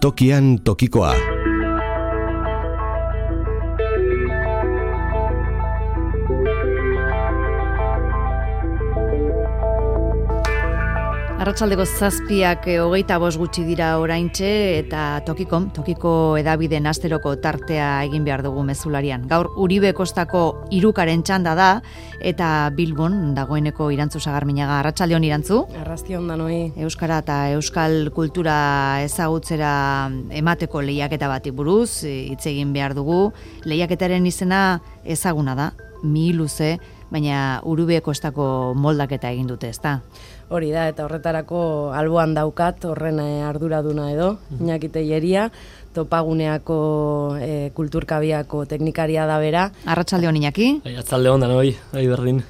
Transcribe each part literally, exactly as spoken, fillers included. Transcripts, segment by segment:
Tokian tokikoa. Arratsaldeko zazpiak hogeita bost gutxi dira oraintxe eta tokiko, tokiko edabideen asteroko tartea egin behar dugu mezularian. Gaur Uribe Kostako hirukaren txanda da eta Bilbon dagoeneko Irantzu Sagarminaga. Arratsaldeon Irantzu. Arrastion danoi. Euskara eta euskal kultura ezagutzera emateko lehiaketa bati buruz hitz egin behar dugu. Lehiaketaren izena ezaguna da, mihiluze, baina Uribe Kostako moldaketa egin dute, ezta? Hori da, eta horretarako alboan daukat, horren arduraduna edo, Iñaki Telleria, Topaguneako e, kulturkabiako teknikaria da bera. Arratsaldeon Iñaki. Arratsaldeon danoi, bai berdin.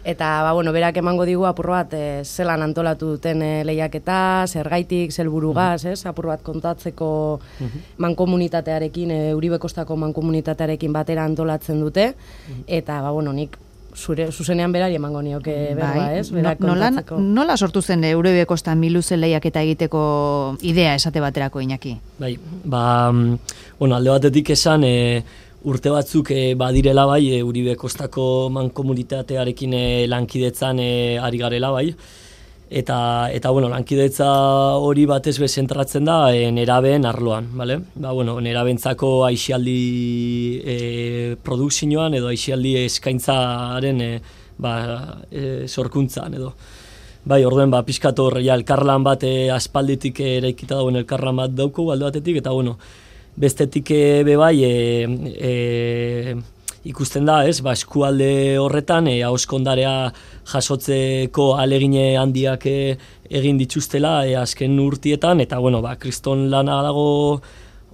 Eta, ba, bueno, berak emango digu apur bat, e, zelan antolatu duten e, lehiaketa, zergaitik, zelburugaz, ez, apur bat kontatzeko mankomunitatearekin, e, Uribe Kostako mankomunitatearekin batera antolatzen dute, eta, ba, bueno, nik zure zuzenean berari emango nioke berba, ez? Berak kontatzeko. Nola, nola sortu zen Uribe Kosta miluze lehiaketa egiteko idea esate baterako, Iñaki? Bai, ba, bueno, alde batetik esan, e, urte batzuk e, badirela bai, e, Uribe Kostako mankomunitatearekin e, lankidetzan e, ari garela bai, eta, eta bueno, lankidetza hori batez be zentratzen da e, nerabeen arloan, bale? Ba, bueno, nerabentzako aisialdi e, produkzioan edo aisialdi eskaintzaren e, ba, e, sorkuntzan edo. Bai, orduen, ba, pixkat hor, ja, elkarlan bat e, aspalditik eraikita dagoen elkarlan bat dauko, alde batetik, eta bueno, bestetik e, be bai, e, e, ikusten da, ez, ba, eskualde horretan, e, ahoskondarea jasotzeko alegine handiak e, egin dituztela e, azken urtietan, eta, bueno, ba, kriston lana dago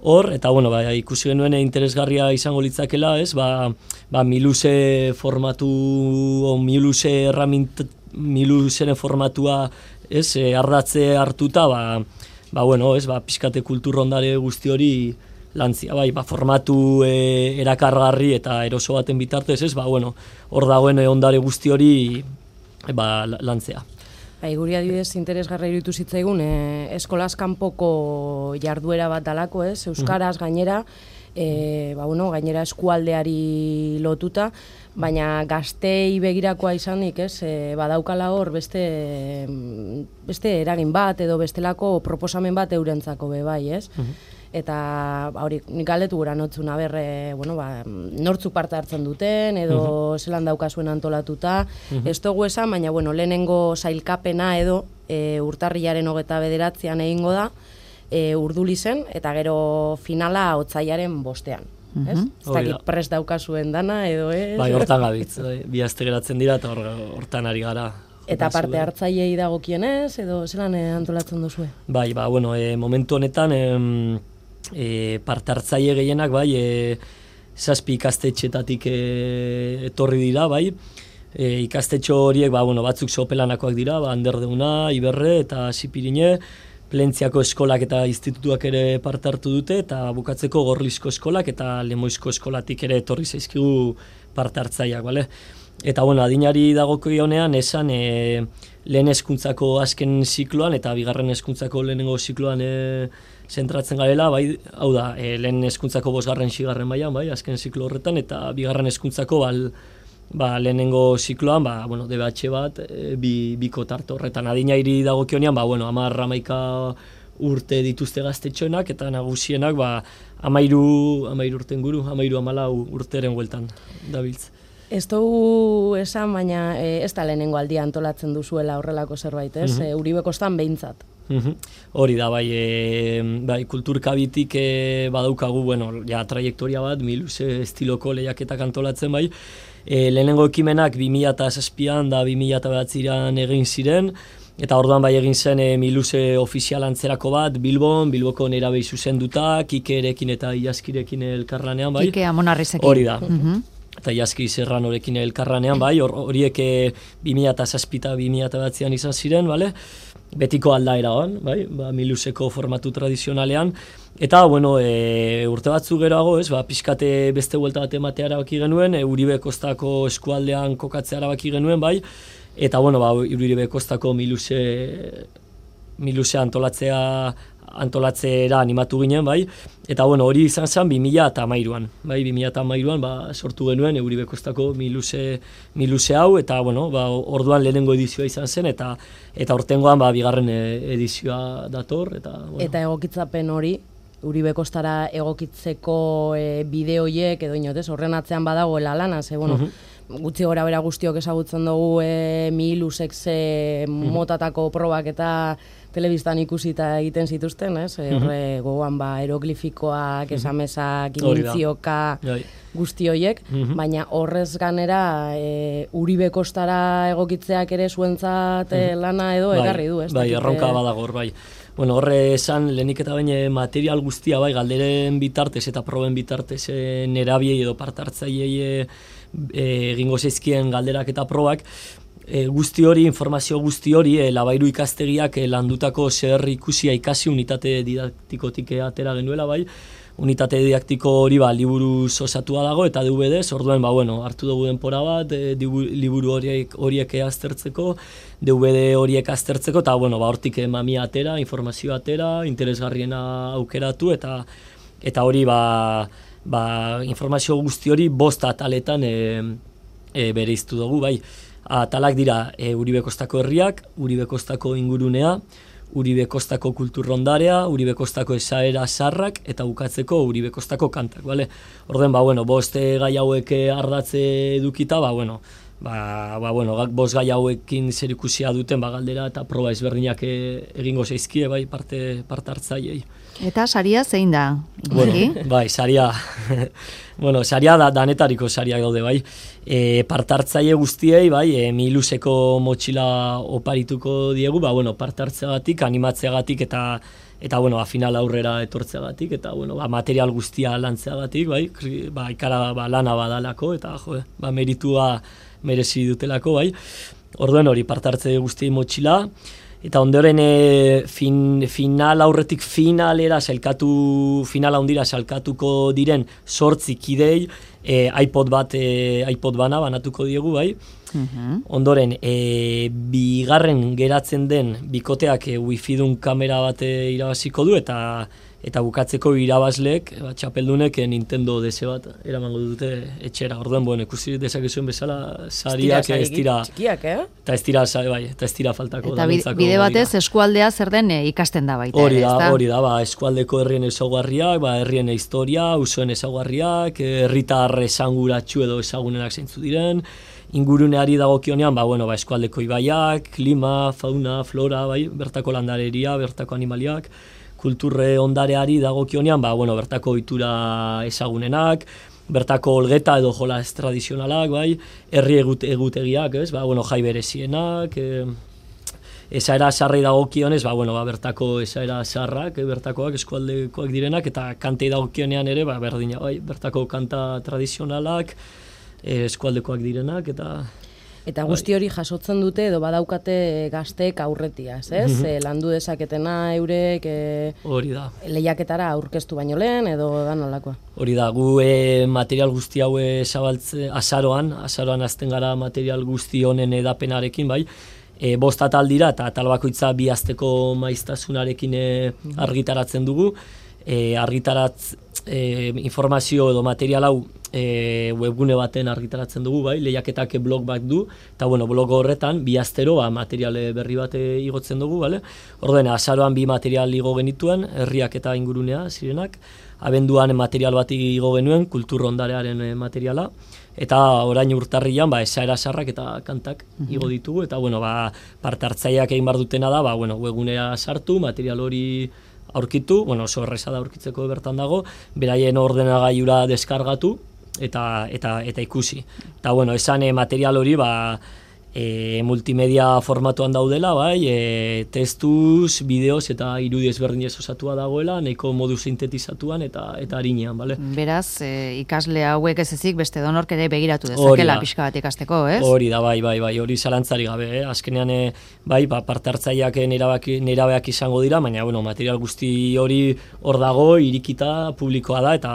hor, eta, bueno, ba, ikusi genuen interesgarria izango litzakela, ez, ba, ba miluze formatu, o miluze erramint, miluzeren formatua, ez, e, ardatze hartuta, ba, ba, bueno, ez, ba, pixkate kulturrondare guzti hori lantzia, bai, ba, formatu e, erakargarri eta eroso baten bitartez, ez, ba, bueno, hor dagoen ondare guzti hori ba, lantzea. Bai, guri adibidez interesgarra iruditu zitzaigun, e, eskolaz kanpoko jarduera bat dalako, ez, euskaraz gainera, e, ba, bueno, gainera eskualdeari lotuta, baina gaztei begirakoa izanik, ez, e, badaukala hor beste, beste eragin bat edo bestelako proposamen bat eurentzako be bai, ez? Eta hori nik galdetu gura notzuna berre, bueno, ba, nortzuk parte hartzen duten edo uh -huh. zelan daukazuen antolatuta. Uh -huh. Ez dugu esan, baina bueno, lehenengo sailkapena edo e, urtarrilaren hogeta bederatzean egingo da, e, Urdulizen, eta gero finala otsailaren bostean. Uh -huh. Ez? Ez dakit prest daukazuen dana edo ez? Bai, hortan gabitz, bi aste geratzen dira eta hortan ari gara. Eta parte hartzaileei dagokienez edo zelan antolatzen duzue? Bai, ba, bueno, e, momentu honetan em, E, parte hartzaile gehienak bai, e, zazpi ikastetxetatik e, etorri dira bai, e, ikastetxo horiek ba, bueno, batzuk sopelanakoak dira, ba, Anderdeuna, Iberre eta Zipirine, Plentziako eskolak eta institutuak ere parte hartu dute, eta bukatzeko Gorlizko eskolak eta Lemoizko eskolatik ere etorri zaizkigu parte hartzaileak, bale? Eta bueno, adinari dagokionean esan e, lehen hezkuntzako azken zikloan eta bigarren hezkuntzako lehenengo zikloan e, zentratzen garela, bai, hau da, e, lehen hezkuntzako bosgarren sigarren mailan, bai, azken ziklo horretan, eta bigarren hezkuntzako bal, ba, lehenengo zikloan, ba, bueno, D B H bat, e, bi, biko tarte horretan. Adinairi dagokionean, ba, bueno, hamar hamaika urte dituzte gaztetxoenak, eta nagusienak, ba, hamairu, hamairu urten guru, hamairu hamalau urteren bueltan dabiltz. Ez dugu esan, baina e, ez da lehenengo aldia antolatzen duzuela horrelako zerbait, ez? Uh-huh. e, Uribe Kostan behintzat. Uh-huh. Hori da, bai, e, bai kulturkabitik e, badaukagu, bueno, ja, trajektoria bat, miluze estiloko lehiaketak antolatzen, bai. E, lehenengo ekimenak bi mila zazpian da bi mila bederatzian egin ziren, eta orduan bai egin zen e, miluze ofizial antzerako bat, Bilbon, Bilboko nerabei zuzenduta, Kikerekin eta Iaskirekin elkarlanean, bai. Kike Amonarrizekin. Hori da. Uh-huh. Eta Iaski Serranorekin elkarranean, bai, horiek e, bi mila zazpi eta bi mila bederatzian izan ziren, bale? Betiko aldaera hon, bai, ba, miluzeko formatu tradizionalean, eta, bueno, e, urte batzu geroago, ez, ba, pixkate beste buelta bat ematea erabaki genuen, e, Uribe Kostako eskualdean kokatzea erabaki genuen, bai, eta, bueno, ba, Uribe Kostako miluze, miluze antolatzea antolatzera animatu ginen, bai, eta bueno, hori izan zen bi mila hamairuan, bai, bi mila hamairuan ba, sortu genuen Uribe Kostako miluse, miluse hau, eta bueno, ba, orduan lehenengo edizioa izan zen, eta eta hortengoan ba, bigarren edizioa dator. Eta, bueno. Eta egokitzapen hori, Uribe Kostara egokitzeko e, bideoiek edo inotez, horren atzean badagoela lana, ze, bueno, uh-huh. gutxi gora bera guztiok ezagutzen dugu e, mihilusek ze motatako probak eta telebistan ikusita egiten zituzten, ez? Uh-huh. Horre gogoan ba, eroglifikoak, uh-huh. esamesak, imintzioka, guzti horiek, uh-huh. baina horrez ganera e, Uribe Kostara egokitzeak ere zuentzat uh-huh. lana edo egarri du, ez? Bai, erronka badagor, bai. Bueno, horre esan, lehenik eta baina material guztia, bai, galderen bitartez eta proben bitartez e, nerabiei edo partartzaiei e, egingo zeizkien galderak eta probak, e, guzti hori, informazio guzti hori, e, Labairu ikastegiak e, landutako zer ikusia ikasi unitate didaktikotik atera genuela, bai, unitate didaktiko hori ba, liburu osatua dago eta D V D, orduan ba, bueno, hartu dugu denpora bat, e, liburu horiek, horiek aztertzeko, D V D horiek aztertzeko, eta bueno, ba, hortik mamia atera, informazio atera, interesgarriena aukeratu, eta eta hori ba, ba, informazio guzti hori bost ataletan e, e, bereiztu dugu, bai. Atalak dira e, Uribe Kostako herriak, Uribe Kostako ingurunea, Uribe Kostako kulturrondarea, Uribe Kostako esaera sarrak eta bukatzeko Uribe Kostako kantak, bale? Orden, ba, bueno, bost gai hauek ardatze edukita, ba, bueno, ba, ba, bueno, bost gai hauekin zer ikusia duten, ba, galdera eta proba ezberdinak egingo zeizkie, bai, parte, parte hartzaiei. Eta saria zein da? Bueno, bai, saria, bueno, saria da, danetariko sariak daude, bai. E, partartzaile guztiei, bai, e, mihiluseko motxila oparituko diegu, ba, bueno, partartzeagatik, animatzeagatik eta eta bueno, ba, final aurrera etortzeagatik eta bueno, ba, material guztia lantzeagatik, bai, ba, ikara ba, lana badalako eta jo, ba, meritua merezi dutelako, bai. Orduen hori partartze guztiei motxila. Eta ondoren e, fin, final aurretik finalera salkatu, finala hondira salkatuko diren zortzi kidei e, iPod bat, e, iPod bana banatuko diegu, bai. Uh-huh. Ondoren, e, bigarren geratzen den bikoteak e, wifi-dun kamera bat e, irabaziko du, eta eta bukatzeko irabazleek, ba, txapeldunek e, Nintendo D S bat eramango dute etxera. Orduan, bueno, ikusi dezakezuen bezala sariak ez dira txikiak, eh? Eta ez dira, bai, eta ez dira faltako. Eta bide batez eskualdea zer den e, ikasten da baita. Hori da, hori da, ba, eskualdeko herrien ezaugarriak, ba, herrien historia, usoen ezaugarriak, herritar esanguratsu edo ezagunenak zeintzu diren, inguruneari dagokionean, ba, bueno, ba, eskualdeko ibaiak, klima, fauna, flora, bai, bertako landareria, bertako animaliak, kulturre ondareari dagokionean, ba, bueno, bertako ohitura ezagunenak, bertako olgeta edo jolas tradizionalak, bai, herri egut, egutegiak, ez, ba, bueno, jai berezienak, e, esaera sarrei dagokionez, ba, bueno, ba, bertako esaera sarrak, e, bertakoak eskualdekoak direnak, eta kantei dagokionean ere, ba, berdina, bai, bertako kanta tradizionalak, e, eskualdekoak direnak, eta... Eta guzti hori jasotzen dute edo badaukate gazteek aurretiaz, ez? Mm-hmm. E, landu dezaketena eurek e, hori da. Lehiaketara aurkeztu baino lehen edo da nolakoa? Hori da, gu e, material guzti haue zabaltze, azaroan, azaroan azten gara material guzti honen edapenarekin, bai, e, bost atal dira eta atal bakoitza bi asteko maiztasunarekin e, argitaratzen dugu, e, argitaratz e, informazio edo material hau E, webgune baten argitaratzen dugu, bai, lehiaketak blog bat du, eta bueno, blog horretan, bi astero, ba, material berri bat igotzen dugu, bale? Ordena, azaroan bi material igo genituen, herriak eta ingurunea zirenak, abenduan material bat igo genuen, kultur ondarearen materiala, eta orain urtarrian, ba, esaera sarrak eta kantak igo ditugu, eta bueno, ba, parte hartzaileak egin bar dutena da, ba, bueno, webgunea sartu, material hori aurkitu, bueno, oso erreza da aurkitzeko bertan dago, beraien ordenagailura deskargatu, eta eta eta ikusi. Eta bueno, esan e, material hori ba e, multimedia formatuan daudela, bai, e, testuz, bideoz eta irudi ezberdinez osatua dagoela, nahiko modu sintetizatuan eta eta arinean, bale? Beraz, e, ikasle hauek ez ezik beste donork ere begiratu dezakela pixka bat ikasteko, ez? Hori da, bai, bai, bai, hori zalantzari gabe, eh? Azkenean, e, bai, ba, parte hartzaileak nerabeak izango dira, baina, bueno, material guzti hori hor dago, irikita, publikoa da, eta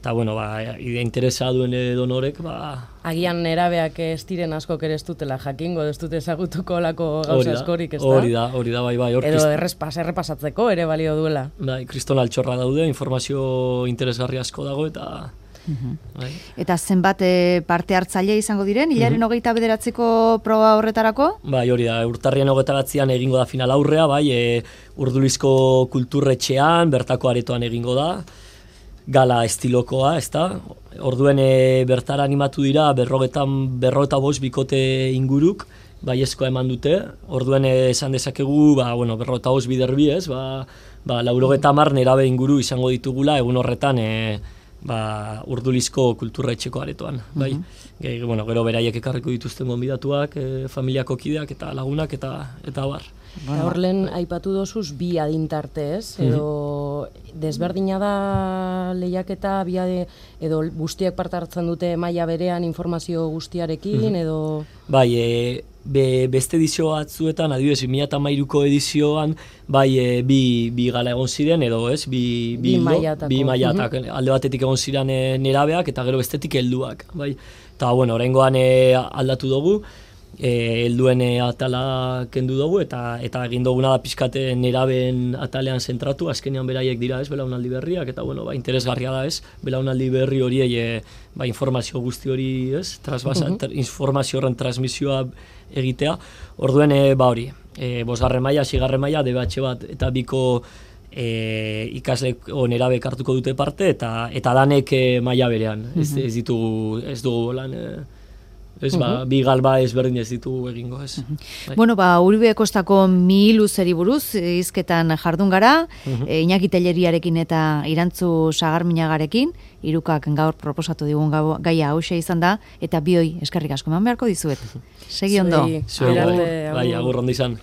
eta bueno, ba, interesa duen donorek, ba... Agian nerabeak ez diren askok ere ez dutela jakingo, ez dute ezagutuko lako gauza askorik, ez da? Hori da, hori da, bai, bai. Edo krist... errespas, errepasatzeko ere balio duela. Bai, kriston altxorra daude, informazio interesgarri asko dago, eta... Uhum. Bai. Eta zenbat e, parte hartzaile izango diren, hilaren uhum. hogeita bederatziko proba horretarako? Bai, hori da, urtarrian hogeita batzian egingo da final aurrea, bai, e, Urdulizko kulturretxean, bertako aretoan egingo da, gala estilokoa, ez da? Orduen e, bertara animatu dira, berrogetan, berrogeta bost bikote inguruk, bai eskoa eman dute, orduen esan dezakegu, ba, bueno, berrogeta bost biderbi, ez? Ba, ba, laurogeta mar nerabe inguru izango ditugula, egun horretan, e, ba, Urdulizko kulturretxeko aretoan, bai. Uh-huh. Ge, bueno, gero beraiek ekarriko dituzten gonbidatuak, e, familiako kideak eta lagunak eta eta bar. Bueno, hor lehen aipatu dozuz bi adintarte, ez? Edo uh-huh. desberdina da lehiaketa, bi ade, edo guztiek parte hartzen dute maila berean informazio guztiarekin, uh-huh. edo... Bai, e, be, beste edizio batzuetan, adibidez, bi mila hamairuko edizioan, bai, e, bi, bi gala egon ziren, edo ez, bi, bi, bi mailatako. Bi mailatak, uh-huh. alde batetik egon ziren e, nerabeak, eta gero bestetik helduak, bai. Eta, bueno, oraingoan e, aldatu dugu, e, helduen e, atala kendu dugu, eta eta egin duguna da pixkate nerabeen atalean zentratu, azkenean beraiek dira, ez, belaunaldi berriak, eta, bueno, ba, interesgarria da, ez, belaunaldi berri horiei, e, ba, informazio guzti hori, ez, trasbasa, uh-huh. tra, informazio horren transmisioa egitea, orduen, e, ba hori, e, bosgarren maila, sigarren maila, D B H bat, eta biko e, ikasle nerabek hartuko dute parte, eta eta danek e, maila berean, ez, uh-huh. ez ditugu, ez dugu lan, e, ez, ba, uh-huh. bi galba ezberdin ez ditugu egingo, ez. Uh-huh. Bai. Bueno, ba, Uribe Kostako mihiluzeri buruz, hizketan jardun gara, uh-huh. e, Iñaki Telleriarekin eta Irantzu Sagarminagarekin, hirukak gaur proposatu digun gaia hauxe izan da, eta bioi eskerrik asko eman beharko dizuet. Segi ondo. Zuei, bai, agur ondo izan.